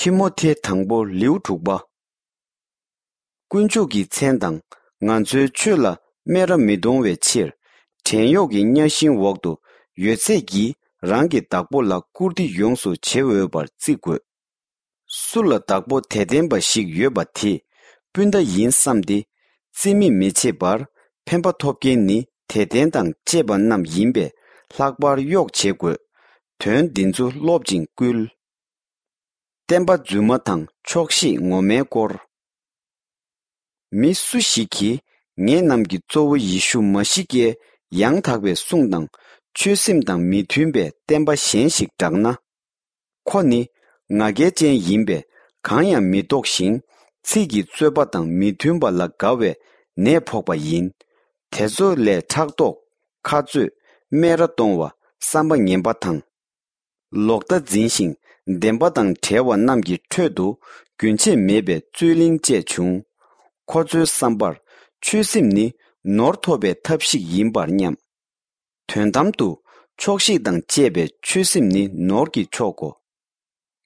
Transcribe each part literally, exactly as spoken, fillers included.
ཏི་མོ་ཐེ་དང་པོ་ལེའུ་དྲུག་པ། དཀོན་མཆོག་གི་མཚན་དང་ང་ཚོའི་ཆོས་ལ་སྨད་ར་མི་གཏོང་བའི་ཕྱིར། བྲན་གཡོག་གི་གཉའ་ཤིང་འོག་ཏུ་ཡོད་ཚད་ཀྱིས་རང་གི་བདག་པོ་ལ་བཀུར་སྟི་ཡོངས་སུ་བྱེད་འོས་པར་བརྩི་དགོས། སུ་ལ་བདག་པོ་དད་ལྡན་པ་ཞིག་ཡོད་པ་དེས་སྤུན་ཟླ་ཡིན་བསམ་སྟེ། རྩིས་མེད་མི་བྱེད་པར། ཕན་པ་ཐོབ་མཁན་ནི་དད་ལྡན་དང་བཅས་པ་རྣམས་ཡིན་པས་ལྷག་པར་གཡོག་བྱེད་དགོས། དོན་འདི་ཚོ་སློབ་ཅིང་བསྐུལ། བསྟན་པ་རྫུན་མ་དང་ཆོག་ཤེས་ངོ་མའི་སྐོར། མི་སུ་ཞིག་གིས་ངེད་རྣམས་ཀྱི་གཙོ་བོ་ཡེ་ཤུ་མ་ཤི་ཀའི་ཡང་དག་པའི་གསུང་དང་ཆོས་སེམས་དང་མི་མཐུན་པའི་བསྟན་པ་གཞན་ཞིག་བསྒྲགས་ན། ཁོ་ནི་ང་རྒྱལ་ཅན་ཡིན་པས་གང་ཡང་མི་རྟོགས་ཤིང་ཚིག་གི་རྩོད་པ་དང་མི་མཐུན་པ་ལ་དགའ་བའི་ནད་ཕོག་པ་ཡིན། དེ་ཚོ་ལས་ཕྲག་དོག་ཁ་རྩོད། སྨད་ར་གཏོང་བ། བསམ་པ་ངན་པ་དང་། ལོག་ལྟ་འཛིན་ཞིང་བདེན་པ་དང་བྲལ་བ་རྣམས་ཀྱི་ཁྲོད་དུ་རྒྱུན་ཆད་མེད་པའི་རྩོད་གླེང་བཅས་བྱུང་། ཁོ་ཚོའི་བསམ་པར་ཆོས་སེམས་ནི་ནོར་ཐོབ་པའི་ཐབས་ཤིག་ཡིན་པར་སྙམ། དོན་དམ་དུ་ཆོག་ཤེས་དང་བཅས་པའི་ཆོས་སེམས་ནི་ནོར་གྱི་མཆོག་གོ།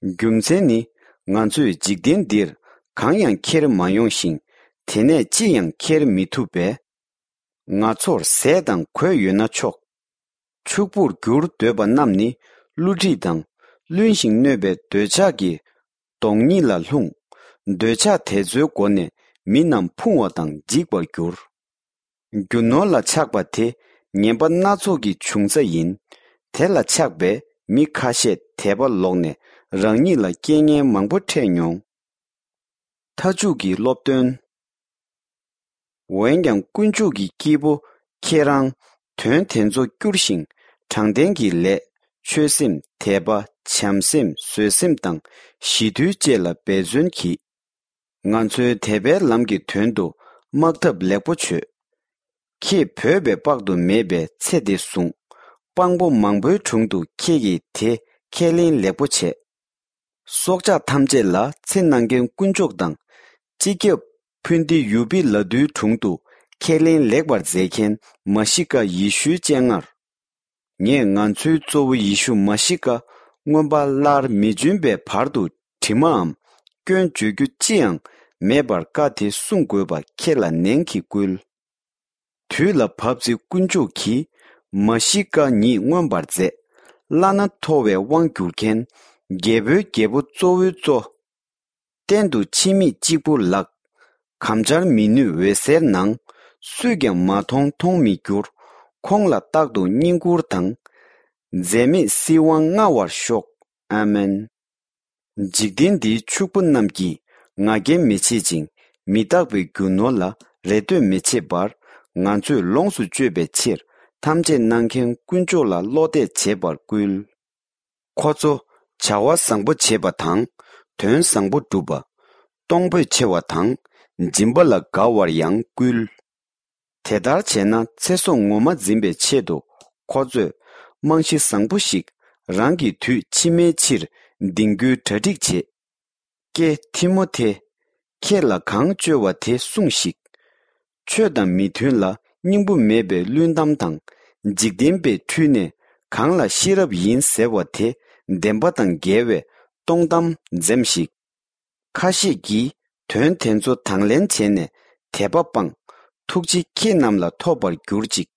རྒྱུ་མཚན་ནི་ང་ཚོས་འཇིག་རྟེན་འདིར་གང་ཡང་ཁྱེར་མ་ཡོང་ཞིང་དེ་ནས་ཅི་ཡང་ཁྱེར་མི་ཐུབ་པས། ང་ཚོར་ཟས་དང་གོས་ཡོད་ན་ཆོག་ཕྱུག་པོར་འགྱུར་འདོད་པ་རྣམས་ནི་བསླུ་བྲིད་དང་བླུན་ཞིང་གནོད་པའི་འདོད་ཆགས་ཀྱི་དོང་ཉིད་ལ་ལྷུང་། འདོད་ཆགས་དེ་ཚོའི་སྒོ་ནས་མི་རྣམས་ཕུང་བ་དང་འཇིག་པར་འགྱུར། རྒྱུ་ནོར་ལ་ཆགས་པ་དེ་ངན་པ་སྣ་ཚོགས་ཀྱི་འབྱུང་རྩ་ཡིན། དེ་ལ་ཆགས་པས་མི་ཁ་ཤས་དད་པ་ལོག་ནས་རང་ཉིད་ལ་རྐྱེན་ངན་མང་པོ་འཕྲད་མྱོང་། མཐའ་མཇུག་གི་སློབ་སྟོན། འོན་ཀྱང་དཀོན་མཆོག་གི་སྐྱེས་བུ་ཁྱེད་རང་དོན་དེ་ཚོ་བསྐྱུར་ཞིང་དྲང་བདེན་གྱི་ལས། ཆོས་སེམས། དད་པ། བྱམས་སེམས། བཟོད་སེམས་དང་ཞི་དུལ་བཅས་ལ་འབད་བརྩོན་གྱིས། ང་ཚོའི་དད་པའི་ལམ་གྱི་དོན་དུ་དམག་འཐབ་ལེགས་པོ་བྱོས། ཁྱེད་བོས་པའི་དཔག་ཏུ་མེད་པའི་ཚེ་འདི་བཟུང་། དཔང་པོ་མང་པོའི་དྲུང་དུ་ཁྱེད་ཀྱིས་དེ་ཁས་ལེན་ལེགས་པོ་བྱས། སྲོག་ཆགས་ཐམས་ཅད་ལ་ཚེ་གནང་མཁན་དཀོན་མཆོག་དང་། སྤྱི་ཁྱབ་ཕུན་ཏི་ཡུ་པི་ལ་དུའི་དྲུང་དུ་ཁས་ལེན་ལེགས་པར་མཛད་མཁན་མ་ཤི་ཀ་ཡེ་ཤུའི་སྤྱན་སྔར། ངས་ང་ཚོའི་གཙོ་བོ་ཡེ་ཤུ་མ་ཤི་ཀ་མངོན་པ་སླར་མི་འབྱོན་པའི་བར་དུ་དྲི་མའམ་སྐྱོན་བརྗོད་རྒྱུ་ཅི་ཡང་མེད་པར་བཀའ་དེ་སྲུང་དགོས་པ་ཁྱེད་ལ་ནན་གྱིས་བསྐུལ། དུས་ལ་བབ་ཚེ་དཀོན་མཆོག་གིས་མ་ཤི་ཀ་ཉིད་མངོན་པར་མཛད། བླ་ན་མཐོ་བའི་དབང་བསྒྱུར་མཁན། རྒྱལ་པོའི་རྒྱལ་པོ་གཙོ་བོའི་གཙོ། གཏན་དུ་འཆི་མེད་གཅིག་པུ་ལགས། གམ་བཅར་མི་ནུས་འོད་ཟེར་ནང་། སུས་ཀྱང་མ་མཐོང་མཐོང་མི་འགྱུར། ཁོང་ལ་རྟག་ཏུ་བསྙེན་བཀུར་དང་། འཛད་མེད་སྲིད་དབང་མངའ་བར་ཤོག་ཨ་མེན། འཇིག་རྟེན་འདིའི་ཕྱུག་པོ་རྣམས་ཀྱིས་ང་རྒྱལ་མི་བྱེད་ཅིང་མི་རྟག་པའི་རྒྱུ་ནོར་ལ་རེ་ལྟོས་མི་བྱེད་པར་ང་ཚོས་ལོངས་སུ་སྤྱོད་པའི་ཕྱིར་ཐམས་ཅད་གནང་མཁན་དཀོན་མཆོག་ལ་བློ་གཏད་བྱེད་པར་བསྐུལ། ཁོ་ཚོ་བྱ་བ་བཟང་པོ་བྱེད་པ་དང་དོན་བཟང་པོ་སྒྲུབ་པ། གཏོང་ཕོད་ཆེ་བ་དང་སྦྱིན་པ་ལ་དགའ་བར་ཡང་བསྐུལ། དེ་ལྟར་བྱས་ན་ཚེ་སྲོག་ངོ་མ་འཛིན་པའི་ཆེད་དུ་ཁོ་ཚོས་རྨང་གཞི་བཟང་པོ་ཞིག་རང་གི་དུས་ཕྱི་མའི་ཕྱིར་འདིང་རྒྱུའི་གྲ་སྒྲིག་བྱེད། ཀྱེ་ཐི་མོ་ཐེ། ཁྱེད་ལ་གང་བཅོལ་བ་དེ་སྲུངས་ཤིག་ཆོས་དང་མི་མཐུན་ལ་སྙིང་པོ་མེད་པའི་བླུན་གཏམ་དང་འཇིག་རྟེན་པའི་འཁྲུལ་གནས་གང་ལ་ཤེས་རབ་ཡིན་ཟེར་བ་དེ་བདེན་པ་དང་འགལ་བའི་སྟོང་གཏམ་འཛེམས་ཤིག་ཁ་ཤས་ཀྱིས་དོན་དེ་ཚོ་དང་ལེན་བྱས་ནས་དད་པ་སྤངས། ཐུགས་རྗེ་ཁྱེད་རྣམས་ལ་ཐོབ་པར་གྱུར་ཅིག